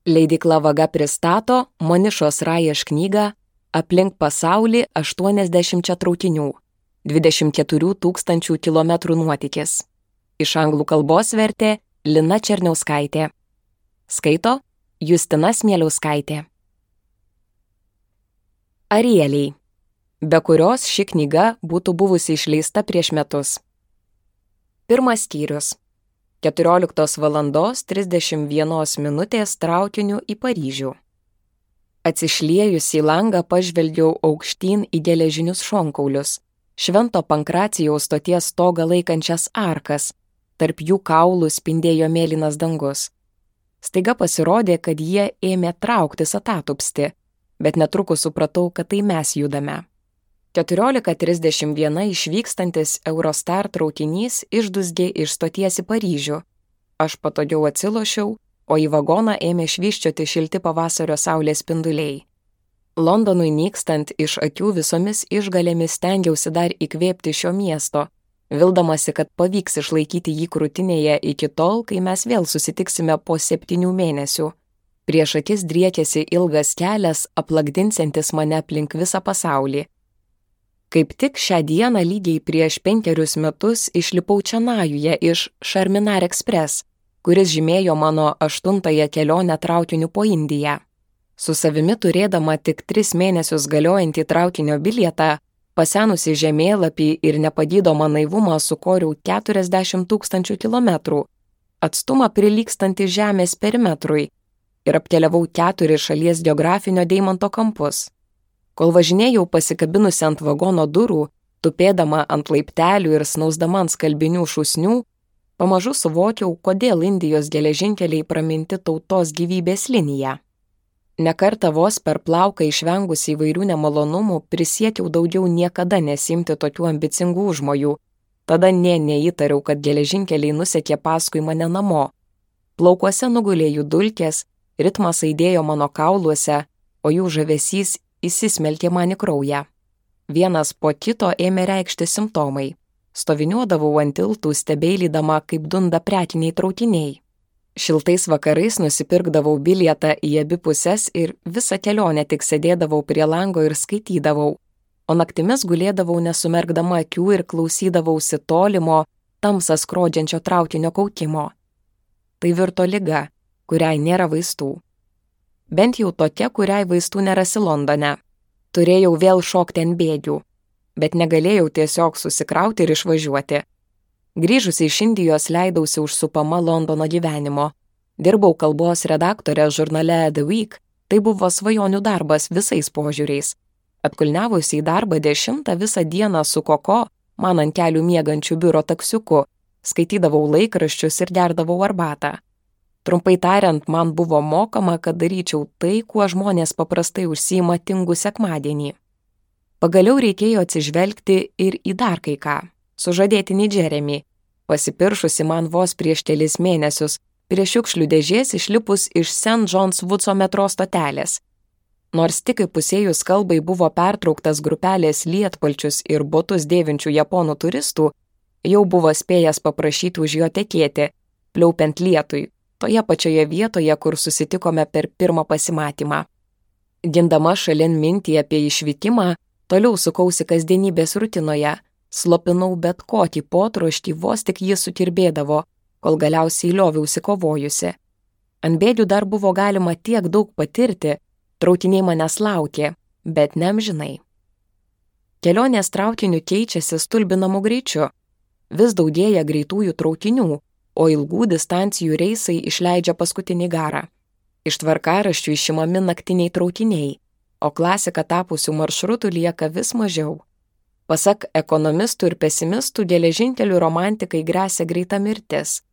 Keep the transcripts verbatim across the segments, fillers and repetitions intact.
Leidykla Vaga pristato Monišos Raješ knygą Aplink pasaulį aštuoniasdešimt traukinių – dvidešimt keturių tūkstančių kilometrų nuotykis. Iš anglų kalbos vertė Lina Černiauskaitė. Skaito Justina Smieliauskaitė. Arieliai, be kurios ši knyga būtų buvusi išleista prieš metus. Pirmas skyrius. keturioliktos valandos trisdešimt vienos minutės traukiniu į Paryžių. Atsišliejus į langą pažvelgiau aukštyn į geležinius šonkaulius, Švento Pankracijaus stoties stogą laikančias arkas, tarp jų kaulų spindėjo mėlynas dangus. Staiga pasirodė, kad jie ėmė trauktis atatupsti, bet netrukus supratau, kad tai mes judame. keturiolika trisdešimt vienas išvykstantis Eurostar traukinys išdusgė iš stoties į Paryžių. Aš patogiau atsilošiau, o į vagoną ėmė švyščioti šilti pavasario saulės spinduliai. Londonui nykstant iš akių visomis išgalėmis stengiausi dar įkvėpti šio miesto, vildamasi, kad pavyks išlaikyti jį krūtinėje iki tol, kai mes vėl susitiksime po septynių mėnesių. Prieš akis driekėsi ilgas kelias, aplakdinsiantis mane aplink visą pasaulį. Kaip tik šią dieną lygiai prieš penkerius metus išlipau Čenajuje iš Charminar Express, kuris žymėjo mano aštuntąją kelionę traukiniu po Indiją. Su savimi turėdama tik tris mėnesius galiojantį traukinio bilietą, pasenusi žemėlapį ir nepagydomą naivumą sukoriau keturiasdešimt tūkstančių kilometrų, atstumą prilygstantį Žemės perimetrui, ir apkeliavau keturis šalies geografinio deimanto kampus. Kol važinėjau pasikabinusi ant vagono durų, tupėdama ant laiptelių ir snausdama ant skalbinių šūsnių, pamažu suvokiau, kodėl Indijos geležinkeliai praminti tautos gyvybės linija. Nekartą vos per plauką išvengusi įvairių nemalonumų prisiekiau daugiau niekada nesimti tokių ambicingų užmojų. Tada nė neįtariau, kad geležinkeliai nusekė paskui mane namo. Plaukuose nugulė jų dulkės, ritmas aidėjo mano kauluose, o jų žavesys įsismelkė man į kraują. Vienas po kito ėmė reikšti simptomai. Stoviniuodavau ant tiltų, stebeilydama, kaip dunda prekiniai traukiniai. Šiltais vakarais nusipirkdavau bilietą į abi puses ir visą kelionę tik sėdėdavau prie lango ir skaitydavau, o naktimis gulėdavau nesumerkdama akių ir klausydavausi tolimo, tamsą skrodžiančio traukinio kaukimo. Tai virto liga, kuriai nėra vaistų. Bent jau tokia, kuriai vaistų nerasi Londone. Turėjau vėl šokti ant bėgių, bet negalėjau tiesiog susikrauti ir išvažiuoti. Grįžusi iš Indijos leidausi užsupama Londono gyvenimo. Dirbau kalbos redaktorė žurnale The Week, tai buvo svajonių darbas visais požiūriais. Atkulniavusi į darbą dešimtą visą dieną su Koko, man ant kelių miegančių biuro taksiuku, skaitydavau laikraščius ir gerdavau arbatą. Trumpai tariant, man buvo mokama, kad daryčiau tai, kuo žmonės paprastai užsiima tingų sekmadienį. Pagaliau reikėjo atsižvelgti ir į dar kai ką. Sužadėtinį Jeremy, pasipiršusi man vos prieš kelis mėnesius, prie šiukšlių dėžės išlipus iš Saint John's Woodso metro stotelės. Nors tik įpusėjus kalbai buvo pertrauktas grupelės lietpalčius ir botus dėvinčių japonų turistų, jau buvo spėjęs paprašyti už jo tekėti, pliaupiant lietui, toje pačioje vietoje, kur susitikome per pirmą pasimatymą. Gindama šalin mintį apie išvykimą, toliau sukausi kasdienybės rutinoje, slopinau bet kokį potroštį, vos tik jis sukirbėdavo, kol galiausiai lioviausi kovojusi. Ant bėgių dar buvo galima tiek daug patirti, traukiniai manęs laukė, bet neamžinai. Kelionės traukiniu keičiasi stulbinamu greičiu. Vis daugėja greitųjų traukinių, o ilgų distancijų reisai išleidžia paskutinį garą. Iš tvarkaraščių išimami naktiniai traukiniai, o klasika tapusių maršrutų lieka vis mažiau. Pasak ekonomistų ir pesimistų, geležinkelių romantikai gresia greita mirtis,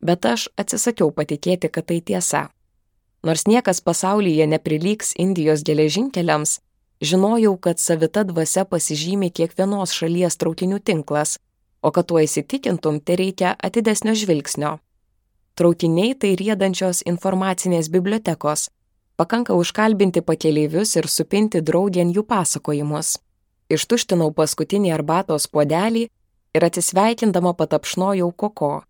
bet aš atsisakiau patikėti, kad tai tiesa. Nors niekas pasaulyje neprilygs Indijos geležinkeliams, žinojau, kad savita dvasia pasižymi kiekvienos šalies traukinių tinklas, o kad tuo įsitikintum, tai reikia atidesnio žvilgsnio. Traukiniai tai riedančios informacinės bibliotekos, pakanka užkalbinti pakeleivius ir supinti draugėn jų pasakojimus. Ištuštinau paskutinį arbatos puodelį ir atsisveikindama patapšnojau Koko.